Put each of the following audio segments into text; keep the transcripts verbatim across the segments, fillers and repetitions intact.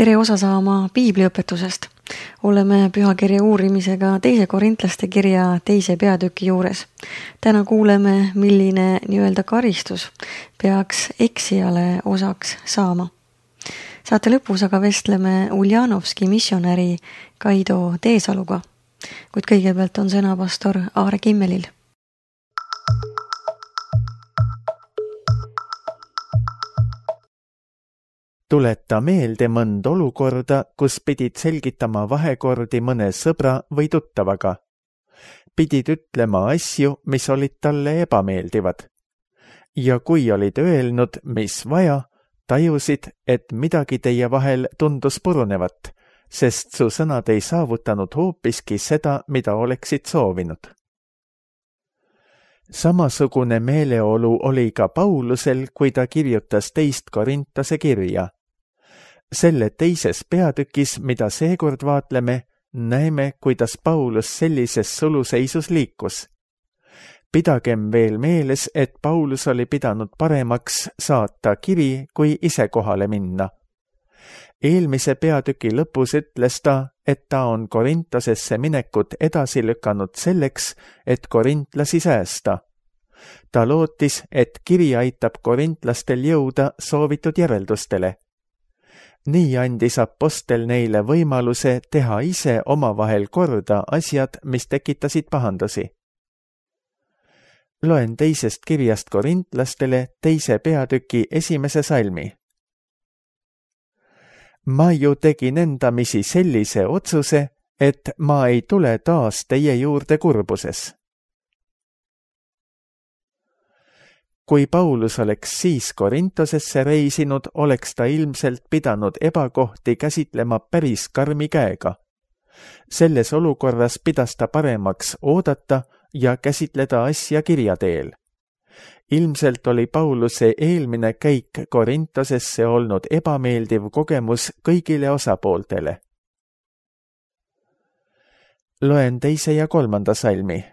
Tere osa saama piibliõpetusest. Oleme pühakirja uurimisega teise korintlaste kirja teise peatüki juures. Täna kuuleme, milline nii-öelda karistus peaks eksijale osaks saama. Saate lõpus aga vestleme Uljanovski missionäri Kaido Teesaluga, kuid kõigepealt on sõna pastor Aare Kimmelil. Tuleta meelde mõnd olukorda, kus pidid selgitama vahekordi mõne sõbra või tuttavaga. Pidid ütlema asju, mis olid talle ebameeldivad. Ja kui olid öelnud, mis vaja, tajusid, et midagi teie vahel tundus purunevat, sest su sõnad ei saavutanud hoopiski seda, mida oleksid soovinud. Samasugune meeleolu oli ka Paulusel, kui ta kirjutas teist Korintase kirja. Selle teises peatükis, mida seekord vaatleme, näeme, kuidas Paulus sellises suluseisus liikus. Pidagem veel meeles, et Paulus oli pidanud paremaks saata kiri, kui ise kohale minna. Eelmise peatüki lõpus ütles ta, et ta on Korintasesse minekut edasi lükanud selleks, et korintlasi säästa. Ta lootis, et kiri aitab korintlastel jõuda soovitud järeldustele. Nii andis apostel neile võimaluse teha ise omavahel korda asjad, mis tekitasid pahandusi. Loen teisest kirjast korintlastele teise peatüki esimese salmi. Ma ju tegin endamisi sellise otsuse, et ma ei tule taas teie juurde kurbuses. Kui Paulus oleks siis Korintosesse reisinud, oleks ta ilmselt pidanud ebakohti käsitlema päris karmi käega. Selles olukorras pidas ta paremaks oodata ja käsitleda asja kirja teel. Ilmselt oli Pauluse eelmine käik Korintosesse olnud ebameeldiv kogemus kõigile osapooltele. Loen teise ja kolmanda salmi.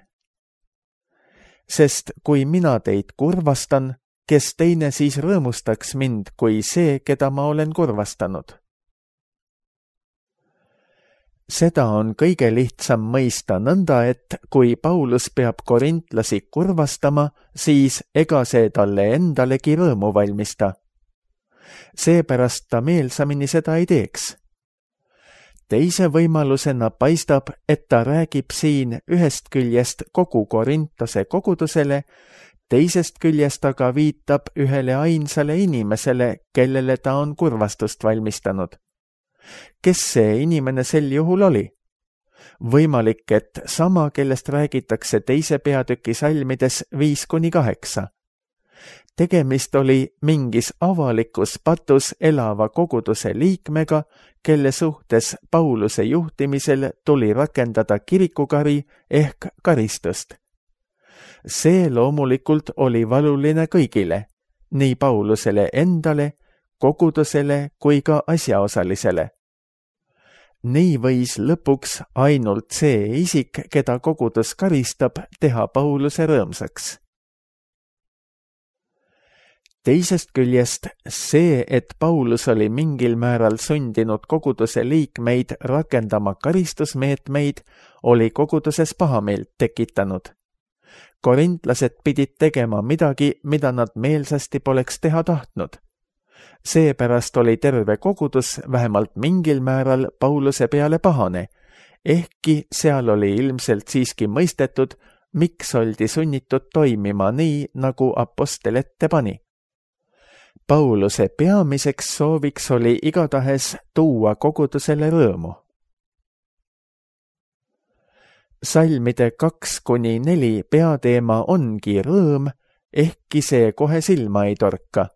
Sest kui mina teid kurvastan, kes teine siis rõõmustaks mind kui see, keda ma olen kurvastanud? Seda on kõige lihtsam mõista nõnda, et kui Paulus peab korintlasi kurvastama, siis ega see talle endalegi rõõmu valmista. Seepärast ta meelsamini seda ei teeks. Teise võimalusena paistab, et ta räägib siin ühest küljest kogu Korintose kogudusele, teisest küljest aga viitab ühele ainsale inimesele, kellele ta on kurvastust valmistanud. Kes see inimene sel juhul oli? Võimalik, et sama, kellest räägitakse teise peatüki salmides viis kuni kaheksa. Tegemist oli mingis avalikus patus elava koguduse liikmega, kelle suhtes Pauluse juhtimisel tuli rakendada kirikukari ehk karistust. See loomulikult oli valuline kõigile, nii Paulusele endale, kogudusele kui ka asjaosalisele. Nii võis lõpuks ainult see isik, keda kogudus karistab, teha Pauluse rõõmsaks. Teisest küljest see, et Paulus oli mingil määral sundinud koguduse liikmeid rakendama karistusmeetmeid, oli koguduses pahameelt tekitanud. Korintlased pidid tegema midagi, mida nad meelsasti poleks teha tahtnud. Seepärast oli terve kogudus vähemalt mingil määral Pauluse peale pahane, ehkki seal oli ilmselt siiski mõistetud, miks oldi sunnitud toimima nii, nagu apostel ette pani. Pauluse peamiseks sooviks oli igatahes tuua kogudusele rõõmu. Salmide kaks kuni neli peateema ongi rõõm, ehkki see kohe silma ei torka.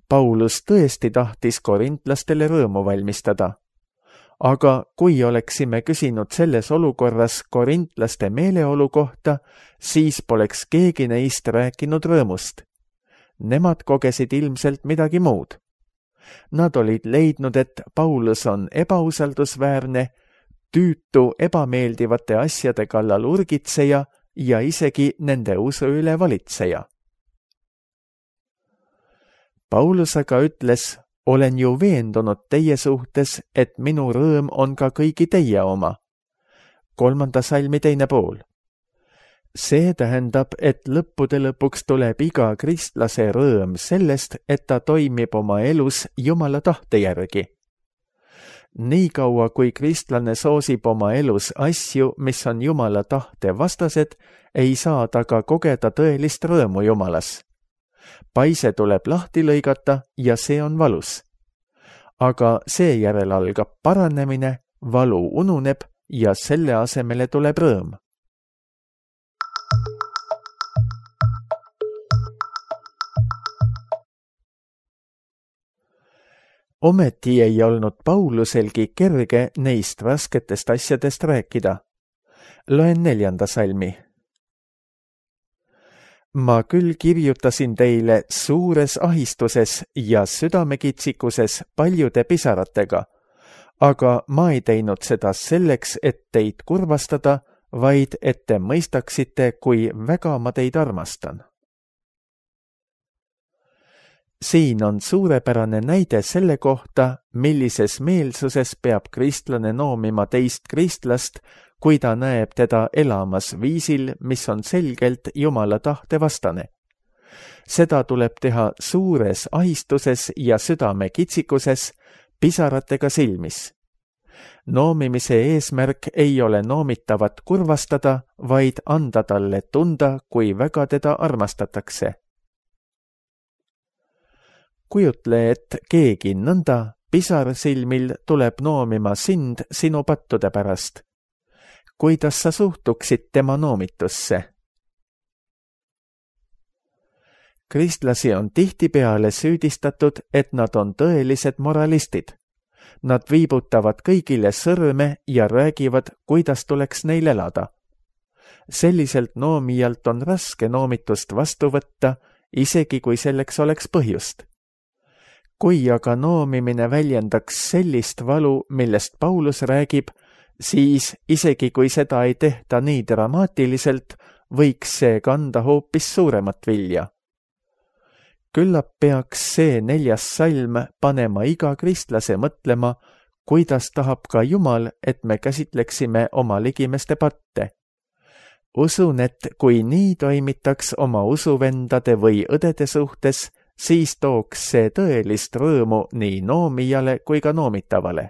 Paulus tõesti tahtis korintlastele rõõmu valmistada. Aga kui oleksime küsinud selles olukorras korintlaste meeleolu kohta, siis poleks keegi neist rääkinud rõõmust. Nemad kogesid ilmselt midagi muud. Nad olid leidnud, et Paulus on ebausaldusväärne, tüütu ebameeldivate asjade kallal urgitseja ja isegi nende usu üle valitseja. Paulus aga ütles, olen ju veendunud teie suhtes, et minu rõõm on ka kõigi teie oma. kolmanda salmi teine pool. See tähendab, et lõppude lõpuks tuleb iga kristlase rõõm sellest, et ta toimib oma elus Jumala tahte järgi. Nii kaua, kui kristlane soosib oma elus asju, mis on Jumala tahte vastased, ei saa ta ka kogeda tõelist rõõmu Jumalas. Paise tuleb lahti lõigata ja see on valus. Aga seejärel algab paranemine, valu ununeb ja selle asemele tuleb rõõm. Ometi ei olnud Pauluselgi kerge neist rasketest asjadest rääkida. Loen neljanda salmi. Ma küll kirjutasin teile suures ahistuses ja südamekitsikuses paljude pisaratega, aga ma ei teinud seda selleks, et teid kurvastada, vaid et te mõistaksite, kui väga ma teid armastan. Siin on suurepärane näide selle kohta, millises meelsuses peab kristlane noomima teist kristlast, kui ta näeb teda elamas viisil, mis on selgelt Jumala tahte vastane. Seda tuleb teha suures ahistuses ja südame kitsikuses, pisaratega silmis. Noomimise eesmärk ei ole noomitavat kurvastada, vaid anda talle tunda, kui väga teda armastatakse. Kujutle, et keegi nõnda pisarsilmil tuleb noomima sind sinu pattude pärast. Kuidas sa suhtuksid tema noomitusse? Kristlasi on tihtipeale süüdistatud, et nad on tõelised moralistid. Nad viibutavad kõigile sõrme ja räägivad, kuidas tuleks neil elada. Selliselt noomijalt on raske noomitust vastu võtta, isegi kui selleks oleks põhjust. Kui aga noomimine väljendaks sellist valu, millest Paulus räägib, siis isegi kui seda ei tehta nii dramaatiliselt, võiks see kanda hoopis suuremat vilja. Küllap peaks see neljas salm panema iga kristlase mõtlema, kuidas tahab ka Jumal, et me käsitleksime oma ligimeste patte. Usun, et kui nii toimitaks oma usuvendade või õdede suhtes, siis tooks see tõelist rõõmu nii noomijale kui ka noomitavale.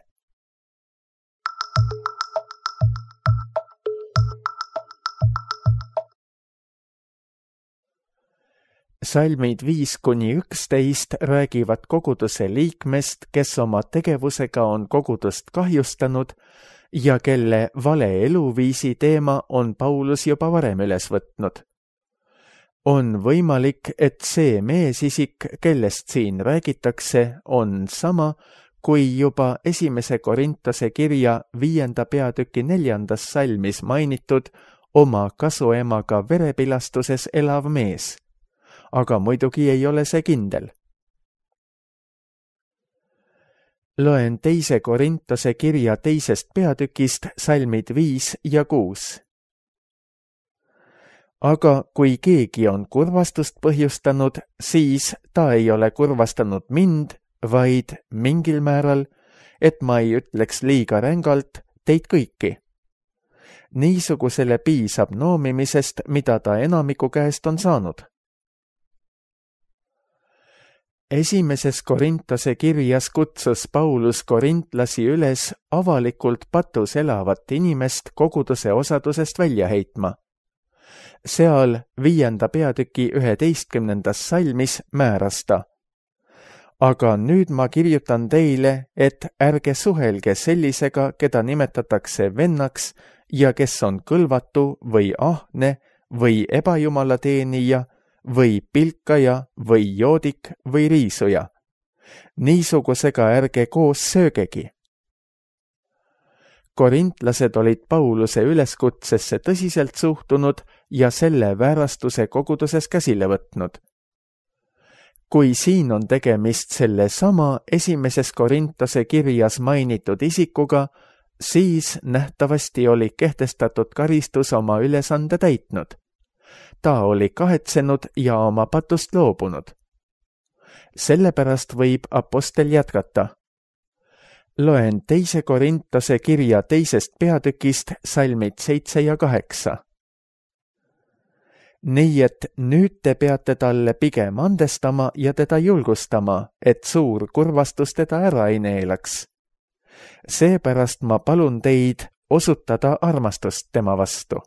Salmid viis kuni üksteist räägivad koguduse liikmest, kes oma tegevusega on kogudust kahjustanud ja kelle vale eluviisi teema on Paulus juba varem üles võtnud. On võimalik, et see meesisik, kellest siin räägitakse, on sama, kui juba esimese Korintose kirja viienda peatüki neljandas salmis mainitud oma kasuemaga verepilastuses elav mees. Aga muidugi ei ole see kindel. Loen teise Korintose kirja teisest peatükist salmid viis ja kuus. Aga kui keegi on kurvastust põhjustanud, siis ta ei ole kurvastanud mind, vaid mingil määral, et ma ei ütleks liiga rängalt, teid kõiki. Niisugusele piisab noomimisest, mida ta enamiku käest on saanud. Esimeses Korintose kirjas kutsus Paulus korintlasi üles avalikult patus elavat inimest koguduse osadusest välja heitma. Seal viienda peatüki üheteistkümnendas salmis määras ta. Aga nüüd ma kirjutan teile, et ärge suhelge sellisega, keda nimetatakse vennaks ja kes on kõlvatu või ahne või ebajumalateenija või pilkaja või joodik või riisuja. Niisugusega ärge koos söögegi. Korintlased olid Pauluse üleskutsesse tõsiselt suhtunud ja selle väärastuse koguduses käsile võtnud. Kui siin on tegemist selle sama esimeses Korintose kirjas mainitud isikuga, siis nähtavasti oli kehtestatud karistus oma ülesande täitnud. Ta oli kahetsenud ja oma patust loobunud. Sellepärast võib apostel jätkata. Loen teise Korintuse kirja teisest peatükist salmid seitse ja kaheksa. Nii et nüüd te peate talle pigem andestama ja teda julgustama, et suur kurvastus teda ära ei neelaks. Seepärast ma palun teid osutada armastust tema vastu.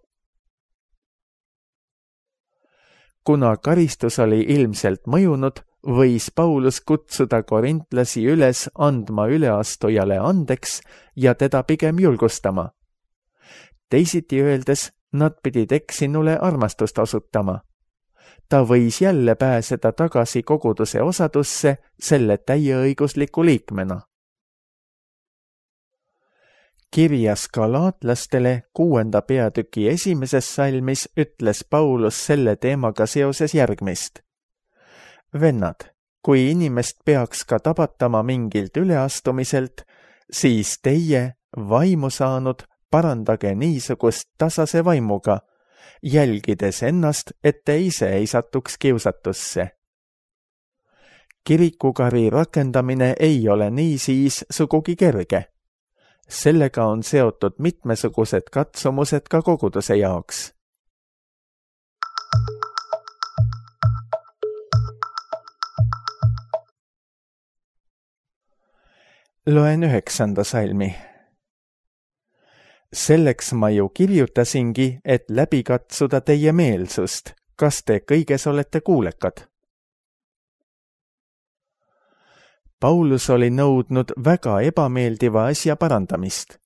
Kuna karistus oli ilmselt mõjunud, võis Paulus kutsuda korintlasi üles andma üleastujale andeks ja teda pigem julgustama. Teisiti öeldes, nad pidid eksinule armastust osutama. Ta võis jälle pääseda tagasi koguduse osadusse selle täieõigusliku liikmena. Kirjas galaatlastele kuuenda peatüki esimeses salmis ütles Paulus selle teemaga seoses järgmist. Vennad, kui inimest peaks ka tabatama mingilt üleastumiselt, siis teie, vaimu saanud, parandage niisugust tasase vaimuga, jälgides ennast, et te ise ei satuks kiusatusse. Kirikukari rakendamine ei ole niisiis sugugi kerge. Sellega on seotud mitmesugused katsumused ka koguduse jaoks. Loen üheksanda salmi. Selleks ma ju kirjutasingi, et läbi katsuda teie meelsust, kas te kõiges olete kuulekad. Paulus oli nõudnud väga ebameeldiva asja parandamist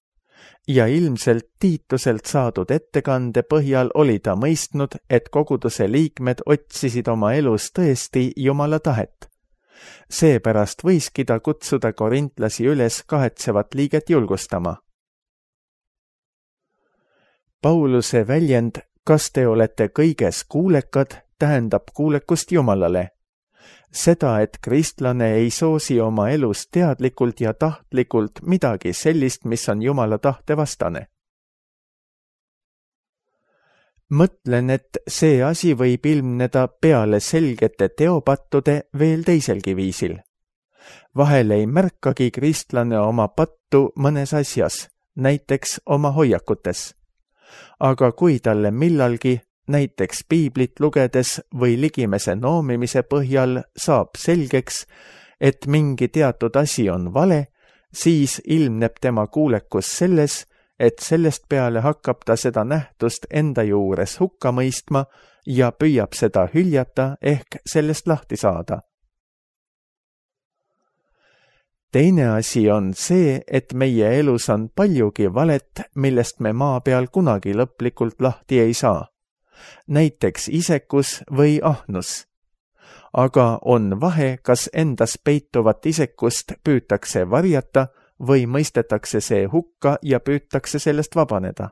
ja ilmselt Tiituselt saadud ettekande põhjal oli ta mõistnud, et koguduse liikmed otsisid oma elus tõesti Jumala tahet. Seepärast võiski ta kutsuda korintlasi üles kahetsevat liiget julgustama. Pauluse väljend, kas te olete kõiges kuulekad, tähendab kuulekust Jumalale. Seda, et kristlane ei soosi oma elus teadlikult ja tahtlikult midagi sellist, mis on Jumala tahte vastane. Mõtlen, et see asi võib ilmneda peale selgete teopattude veel teiselgi viisil. Vahel ei märkagi kristlane oma pattu mõnes asjas, näiteks oma hoiakutes. Aga kui talle millalgi, näiteks piiblit lugedes või ligimese noomimise põhjal saab selgeks, et mingi teatud asi on vale, siis ilmneb tema kuulekus selles, et sellest peale hakkab ta seda nähtust enda juures hukka mõistma ja püüab seda hüljata ehk sellest lahti saada. Teine asi on see, et meie elus on paljugi valet, millest me maa peal kunagi lõplikult lahti ei saa. Näiteks isekus või ahnus. Aga on vahe, kas endas peituvat isekust püütakse varjata või mõistetakse see hukka ja püütakse sellest vabaneda.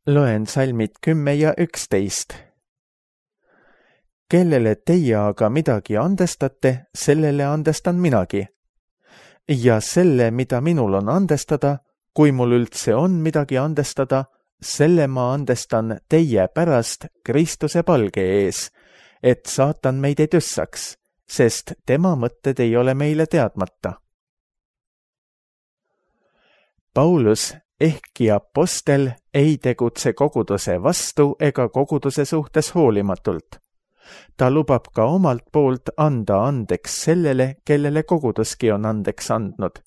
Loen salmid kümme ja üksteist. Kellele teie aga midagi andestate, sellele andestan minagi. Ja selle, mida minul on andestada, kui mul üldse on midagi andestada, selle ma andestan teie pärast Kristuse palge ees, et saatan meid ei tüssaks, sest tema mõtted ei ole meile teadmata. Paulus, ehkki apostel, ei tegutse koguduse vastu ega koguduse suhtes hoolimatult. Ta lubab ka omalt poolt anda andeks sellele, kellele koguduski on andeks andnud.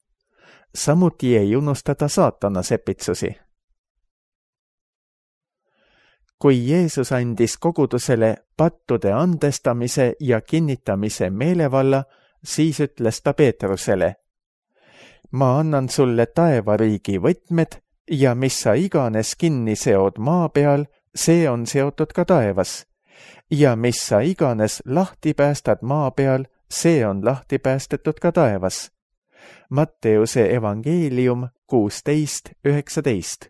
Samuti ei unustada saatana sepitsusi. Kui Jeesus andis kogudusele pattude andestamise ja kinnitamise meelevalla, siis ütles ta Peetrusele: ma annan sulle taevariigi võtmed ja mis sa iganes kinni seod maa peal, see on seotud ka taevas. Ja mis sa iganes lahti päästad maa peal, see on lahti päästetud ka taevas. Matteuse evangeelium kuusteist üheksateist.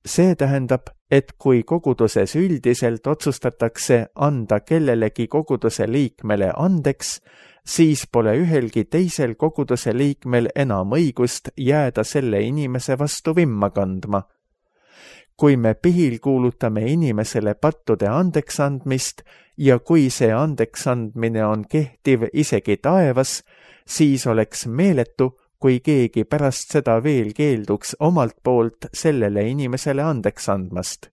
See tähendab, et kui koguduses üldiselt otsustatakse anda kellelegi koguduse liikmele andeks, siis pole ühelgi teisel koguduse liikmel enam õigust jääda selle inimese vastu vimma kandma. kui me pihil kuulutame inimesele pattude andeksandmist ja kui see andeksandmine on kehtiv isegi taevas, siis oleks meeletu, kui keegi pärast seda veel keelduks omalt poolt sellele inimesele andeks andmast.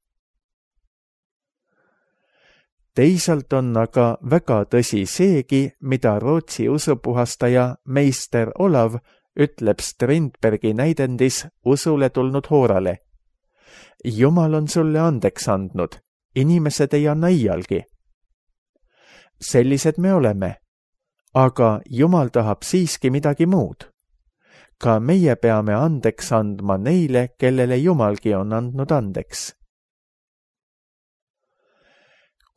Teisalt on aga väga tõsi seegi, mida Rootsi usupuhastaja meister Olav ütleb Strindbergi näidendis usule tulnud hoorale. Jumal on sulle andeks andnud, inimesed ei anna iialgi. Sellised me oleme, aga Jumal tahab siiski midagi muud. Ka meie peame andeks andma neile, kellele Jumalgi on andnud andeks.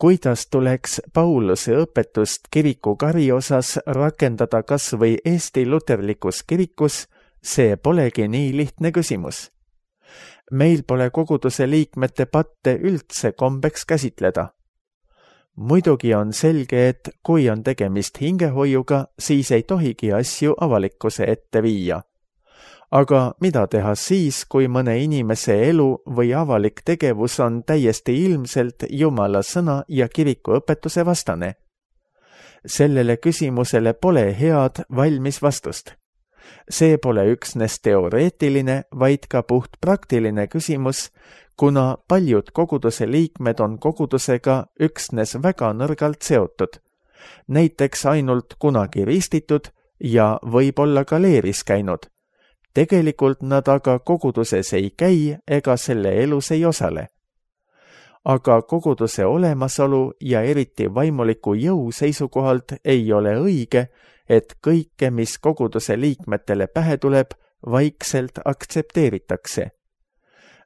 Kuidas tuleks Pauluse õpetust kiriku kari osas rakendada kas või Eesti luterlikus kirikus, see polegi nii lihtne küsimus. Meil pole koguduse liikmete patte üldse kombeks käsitleda. Muidugi on selge, et kui on tegemist hingehoiuga, siis ei tohigi asju avalikkuse ette viia. Aga mida teha siis, kui mõne inimese elu või avalik tegevus on täiesti ilmselt Jumala sõna ja kiriku õpetuse vastane? Sellele küsimusele pole head valmis vastust. See pole üksnes teoreetiline, vaid ka puht praktiline küsimus, kuna paljud koguduse liikmed on kogudusega üksnes väga nõrgalt seotud. Näiteks ainult kunagi ristitud ja võib-olla ka leeris käinud. Tegelikult nad aga koguduses ei käi ega selle elus ei osale. Aga koguduse olemasolu ja eriti vaimuliku jõu seisukohalt ei ole õige, et kõike, mis koguduse liikmetele pähe tuleb, vaikselt aktsepteeritakse.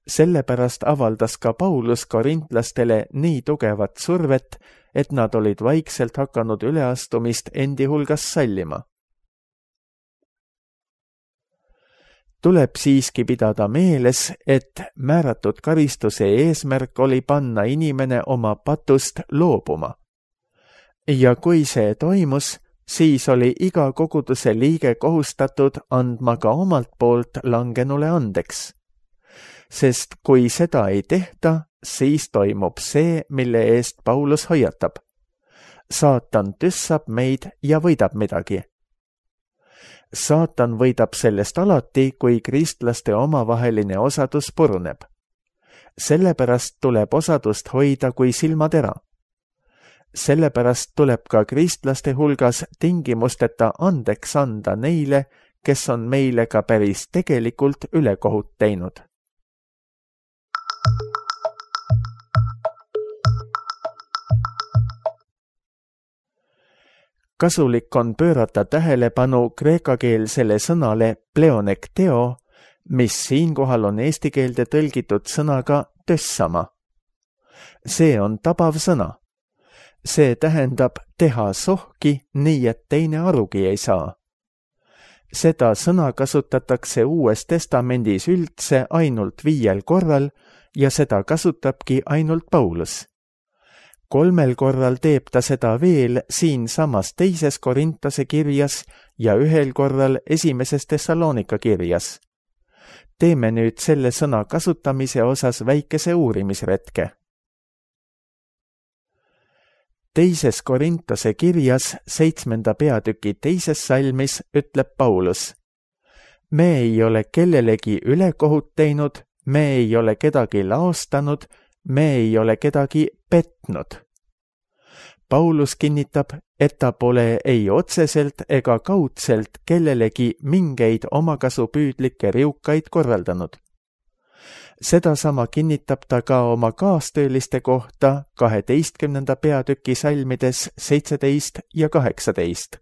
Sellepärast avaldas ka Paulus korintlastele nii tugevat survet, et nad olid vaikselt hakanud üleastumist endi hulgas sallima. Tuleb siiski pidada meeles, et määratud karistuse eesmärk oli panna inimene oma patust loobuma. Ja kui see toimus, siis oli iga koguduse liige kohustatud andma ka omalt poolt langenule andeks. Sest kui seda ei tehta, siis toimub see, mille eest Paulus hoiatab. Saatan tüssab meid ja võidab midagi. Saatan võidab sellest alati, kui kristlaste omavaheline osadus puruneb. Sellepärast tuleb osadust hoida kui silmatera. Sellepärast tuleb ka kristlaste hulgas tingimusteta andeks anda neile, kes on meile ka päris tegelikult ülekohut teinud. Kasulik on pöörata tähelepanu kreekakeelsele sõnale pleonekteo, mis siinkohal on eesti keelde tõlgitud sõnaga tössama. See on tabav sõna. See tähendab teha sohki, nii et teine arugi ei saa. Seda sõna kasutatakse Uues Testamendis üldse ainult viiel korral ja seda kasutabki ainult Paulus. Kolmel korral teeb ta seda veel siin samas teises Korintase kirjas ja ühel korral esimeses Thessalonika kirjas. Teeme nüüd selle sõna kasutamise osas väikese uurimisretke. Teises Korintase kirjas seitsmenda peatüki teises salmis ütleb Paulus: Me ei ole kellelegi ülekohut teinud, me ei ole kedagi laostanud, me ei ole kedagi petnud. Paulus kinnitab, et ta pole ei otseselt ega kaudselt kellelegi mingeid omakasupüüdlikke riukaid korraldanud. Sedasama kinnitab ta ka oma kaastööliste kohta kaheteistkümnenda peatüki salmides seitseteist ja kaheksateist.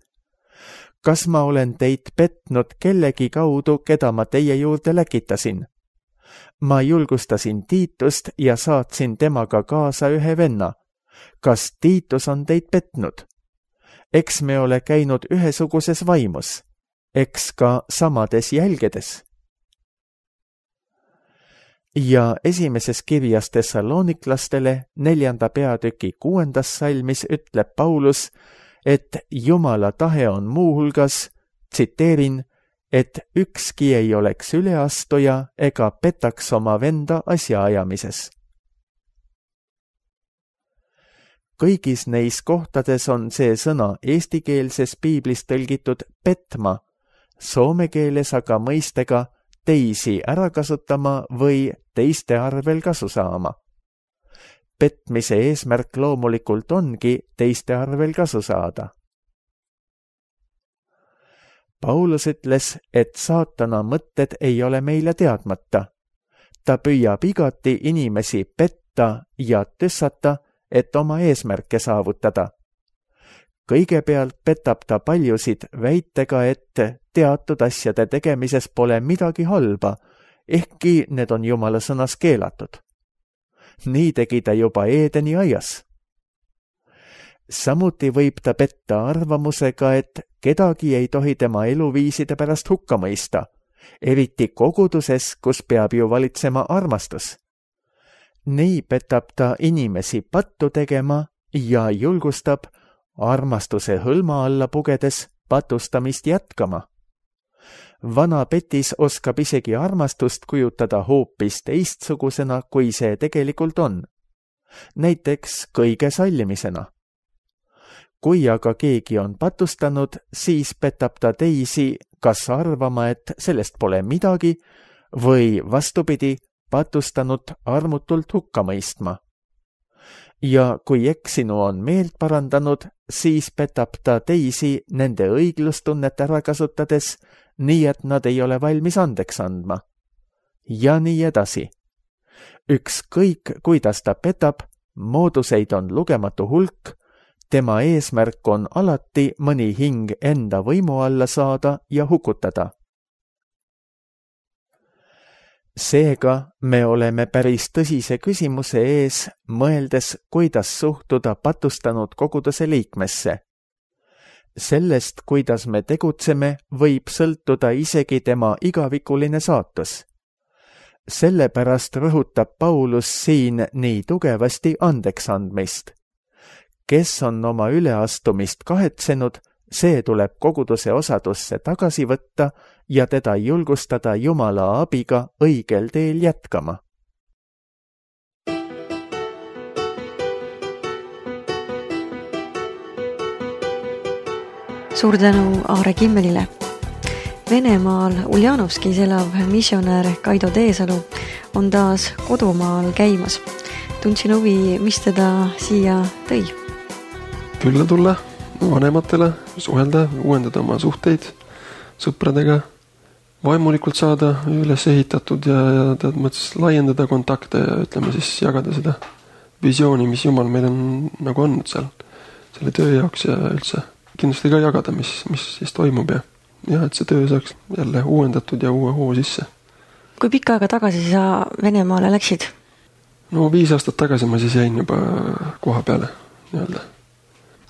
Kas ma olen teid petnud kellegi kaudu, keda ma teie juurde läkitasin? Ma julgustasin Tiitust ja saatsin temaga kaasa ühe venna. Kas Tiitus on teid petnud? Eks me ole käinud ühesuguses vaimus, eks ka samades jälgedes. Ja esimeses kirjas Thessaloniklastele neljanda peatüki kuuendas salmis ütleb Paulus, et Jumala tahe on muuhulgas, tsiteerin, et ükski ei oleks üleastuja ega petaks oma venda asjaajamises. Kõigis neis kohtades on see sõna eestikeelses piiblis tõlgitud petma, soome keeles aga mõistega teisi ära kasutama või teiste arvel kasu saama. Petmise eesmärk loomulikult ongi teiste arvel kasu saada. Paulus ütles, et saatana mõtted ei ole meile teadmata. Ta püüab igati inimesi petta ja tüssata, et oma eesmärke saavutada. Kõigepealt petab ta paljusid väitega, et teatud asjade tegemises pole midagi halba, ehkki need on Jumala sõnas keelatud. Nii tegi ta juba Eedeni aias. Samuti võib ta petta arvamusega, et kedagi ei tohi tema eluviiside pärast hukka mõista, eriti koguduses, kus peab ju valitsema armastus. Nii petab ta inimesi pattu tegema ja julgustab armastuse hõlma alla pugedes patustamist jätkama. Vana petis oskab isegi armastust kujutada hoopis teistsugusena, kui see tegelikult on. Näiteks kõige sallimisena. Kui aga keegi on patustanud, siis petab ta teisi kas arvama, et sellest pole midagi, või vastupidi, patustanud armutult hukka mõistma. Ja kui eksinu on meelt parandanud, siis petab ta teisi nende õiglustunnet ära kasutades, nii et nad ei ole valmis andeks andma. Ja nii edasi. Ükskõik, kuidas ta petab, mooduseid on lugematu hulk, tema eesmärk on alati mõni hing enda võimu alla saada ja hukutada. Seega me oleme päris tõsise küsimuse ees, mõeldes, kuidas suhtuda patustanud koguduse liikmesse. Sellest, kuidas me tegutseme, võib sõltuda isegi tema igavikuline saatus. Sellepärast rõhutab Paulus siin nii tugevasti andeks andmist. Kes on oma üleastumist kahetsenud, see tuleb koguduse osadusse tagasi võtta ja teda julgustada Jumala abiga õigel teel jätkama. Suur tänu Aare Kimmelile. Venemaal Uljanovskis elav missionär Kaido Teesalu on taas kodumaal käimas. Tundsin huvi, mis teda siia tõi? Külla tulla vanematele, suhelda, uuendada oma suhteid sõpradega, vaimulikult saada üles ehitatud ja, ja tead mõttes laiendada kontakte ja ütleme siis jagada seda visiooni, mis Jumal meil on nagu andnud seal selle töö jaoks ja üldse kindlasti ka jagada, mis, mis siis toimub ja, ja et see töö saaks jälle uuendatud ja uue hoo sisse. Kui pikka aega tagasi sa Venemaale läksid? No viis aastat tagasi ma siis jäin juba koha peale nii-öelda.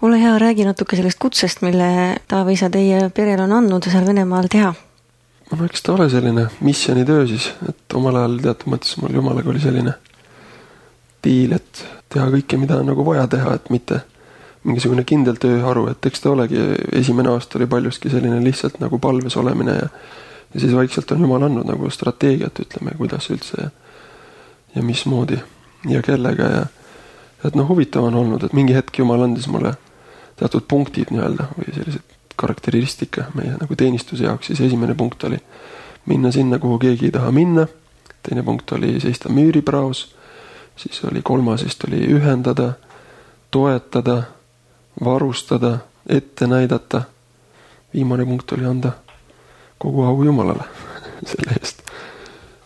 Ole hea, räägi natuke sellest kutsest, mille Taavi-isa teie perel on andnud seal Venemaal teha. No eks ta ole selline missionitöö siis, et omal ajal teatud mõttes mul Jumalaga oli selline diil, et teha kõike, mida on nagu vaja teha, et mitte mingisugune kindel tööharu, et eks ta olegi, esimene aasta oli paljuski selline lihtsalt nagu palves olemine ja, ja siis vaikselt on Jumal andnud nagu strateegiat, ütleme, kuidas üldse ja, ja mismoodi ja kellega ja et noh, huvitav on olnud, et mingi hetk Jumal andis mulle teatud punktid nii-öelda või sellised karakteristika meie nagu teenistuse jaoks, siis esimene punkt oli minna sinna, kuhu keegi ei taha minna, teine punkt oli seista müüripraos, siis oli kolmas, siis oli ühendada, toetada, varustada, ette näidata. Viimane punkt oli anda kogu au Jumalale selle eest.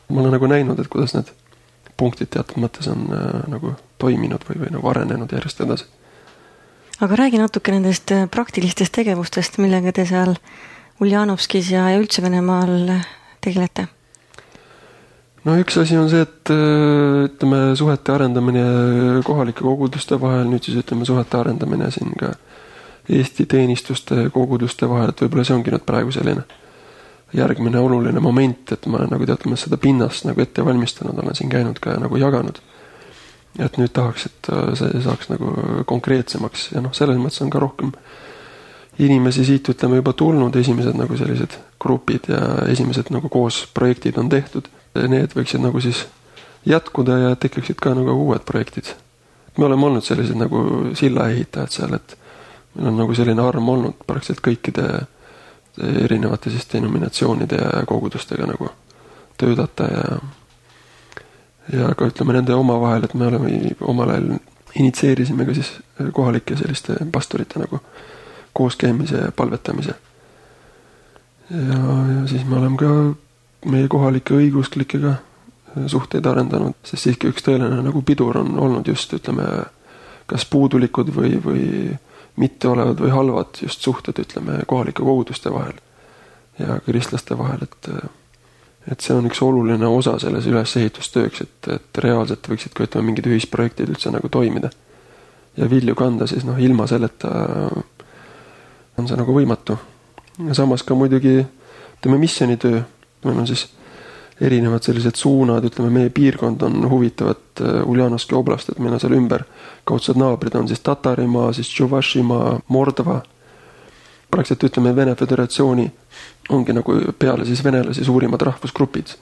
Ma olen nagu näinud, et kuidas need punktid teatud mõttes on äh, nagu toiminud või, või nagu arenenud järjest edasi. Aga räägi natuke nendest praktilistest tegevustest, millega te seal Uljanovskis ja, ja üldse Venemaal tegelete? No üks asi on see, et ütleme suhete arendamine kohalike koguduste vahel, nüüd siis ütleme suhete arendamine siin ka Eesti teenistuste koguduste vahel, et võib-olla see ongi nüüd praegu selline järgmine oluline moment, et ma nagu teatame seda pinnast nagu ette valmistanud, olen siin käinud ka nagu jaganud. Et nüüd tahaks, et see saaks nagu konkreetsemaks ja noh, selles mõttes on ka rohkem inimesi siit ütleme juba tulnud, esimesed nagu sellised grupid ja esimesed nagu koos projektid on tehtud. Need võiksid nagu siis jätkuda ja tekkaksid ka nagu uued projektid. Me oleme olnud sellised nagu silla ehitajad seal, et meil on nagu selline arm olnud praktiliselt kõikide erinevate siis denominatsioonide ja kogudustega nagu töötada ja ja ka ütleme nende oma vahel, et me oleme omal ajal initseerisime ka siis kohalike selliste pastorite nagu kooskäimise ja palvetamise. Ja, ja siis me oleme ka meie kohalike õigeusklikega suhteid arendanud, sest siiski üks tõeline nagu pidur on olnud just, ütleme, kas puudulikud või, või mitte olevad või halvad just suhted, ütleme, kohalike koguduste vahel ja kristlaste vahel, et et see on üks oluline osa selles ülesehitustööks, et, et reaalselt võiksid ka ütleme mingid ühisprojektid üldse nagu toimida ja vilju kanda, siis noh, ilma selleta on see nagu võimatu. Ja samas ka muidugi ütleme missionitöö, meil on siis erinevad sellised suunad, ütleme meie piirkond on huvitavat Uljanovski oblast, et meil on seal ümber kaudsed naabrid on siis Tatarimaa, siis Tšuvašimaa, Mordva. Praktiliselt ütleme Vene Föderatsiooni ongi nagu peale siis venelasi suurimad rahvusgrupid.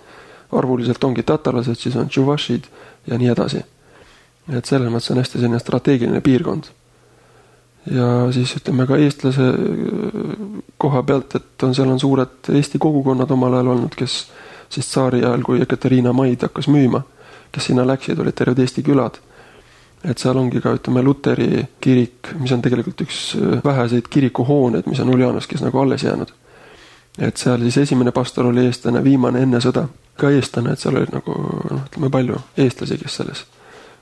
Arvuliselt ongi tatarlased, siis on Tšuvašid ja nii edasi. Et selles mõttes on hästi selline strateegiline piirkond. Ja siis ütleme ka eestlase koha pealt, et on, seal on suured Eesti kogukonnad omal ajal olnud, kes siis tsaari ajal, kui Ekaterina Maid hakkas müüma, kes sinna läksid, olid terved Eesti külad. Et seal ongi ka, ütleme, Luteri kirik, mis on tegelikult üks väheseid kirikuhooneid, mis on Uljanovskis nagu alles jäänud. Et seal siis esimene pastor oli eestlane, viimane enne sõda ka eestlane, et seal oli nagu, noh, ütleme palju eestlasi, kes selles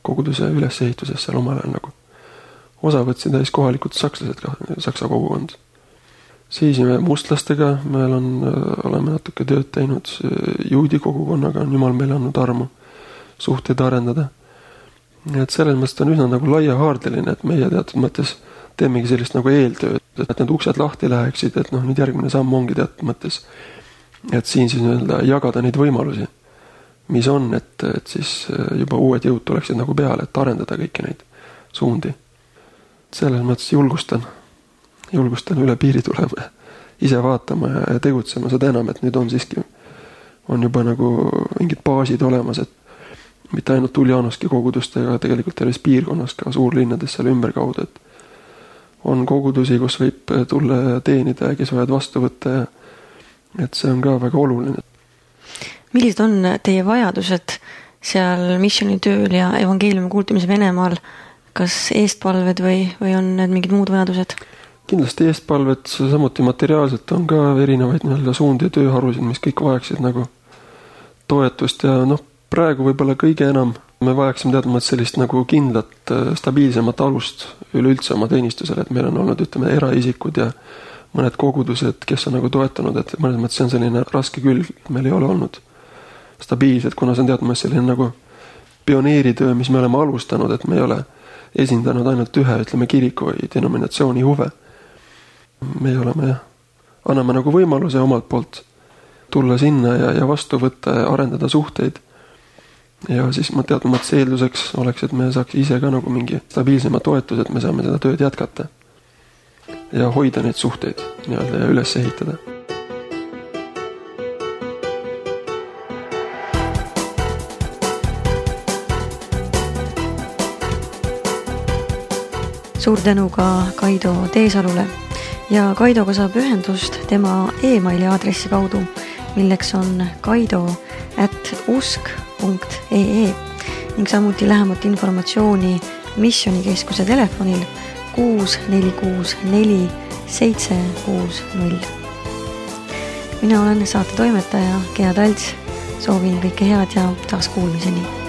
koguduse ülesehituses seal omal ajal nagu osa võtsid ja siis kohalikud sakslased ka, saksa kogukond. Siis me mustlastega, meil on, oleme natuke tööd teinud juudi kogukonnaga, on jumal meile andnud armu suhteid arendada. Et selles mõttes on üsna nagu laiahaardeline, et meie teatud mõttes teemegi sellist nagu eeltööd, et need uksed lahti läheksid, et noh, nüüd järgmine samm ongi teatud mõttes, et siin siis öelda jagada neid võimalusi, mis on, et, et siis juba uued jõud tuleksid nagu peale, et arendada kõiki neid suundi. Selles mõttes julgustan, julgustan üle piiri tulema, ise vaatama ja tegutsema seda enam, et nüüd on siiski, on juba nagu mingid baasid olemas, et mitte ainult Uljanovski kogudustega, tegelikult terves piirkonnas ka suurlinnades seal ümber kaudu, et on kogudusi, kus võib tulla ja teenida ja kes võivad vastu võtta ja et see on ka väga oluline. Millised on teie vajadused seal missionitööl ja evangeeliumi kuultamise Venemaal? Kas eestpalved või, või on need mingid muud vajadused? Kindlasti eestpalved, samuti materiaalselt on ka erinevaid nii-öelda suundi ja tööharusid, mis kõik vajaksid nagu toetust ja noh, praegu võib-olla kõige enam me vajaksime teadmata sellist nagu kindlat, stabiilsemat alust üleüldse oma teenistusele, et meil on olnud, ütleme, eraisikud ja mõned kogudused, kes on nagu toetanud, et mõnes mõttes see on selline raske külg, meil ei ole olnud stabiilsed, kuna see on teadmata selline nagu pioneeritöö, mis me oleme alustanud, et me ei ole esindanud ainult ühe, ütleme, kiriku või denominatsiooni huve. Me oleme, anname nagu võimaluse omalt poolt tulla sinna ja, ja vastu võtta ja arendada suhteid. Ja siis ma teadma, et see eelduseks oleks, et me saaks ise ka nagu mingi stabiilsema toetus, et me saame seda tööd jätkata ja hoida neid suhteid nii-öelda ja üles ehitada. Suur tänu ka Kaido Teesalule ja Kaidoga saab ühendust tema e-maili aadressi kaudu, milleks on kaido at usk punkt ee ning samuti lähemat informatsiooni missionikeskuse telefonil kuus neli kuus neli seitse kuus null. Mina olen saate toimetaja Gea Talts, soovin kõike head ja taas kuulmiseni.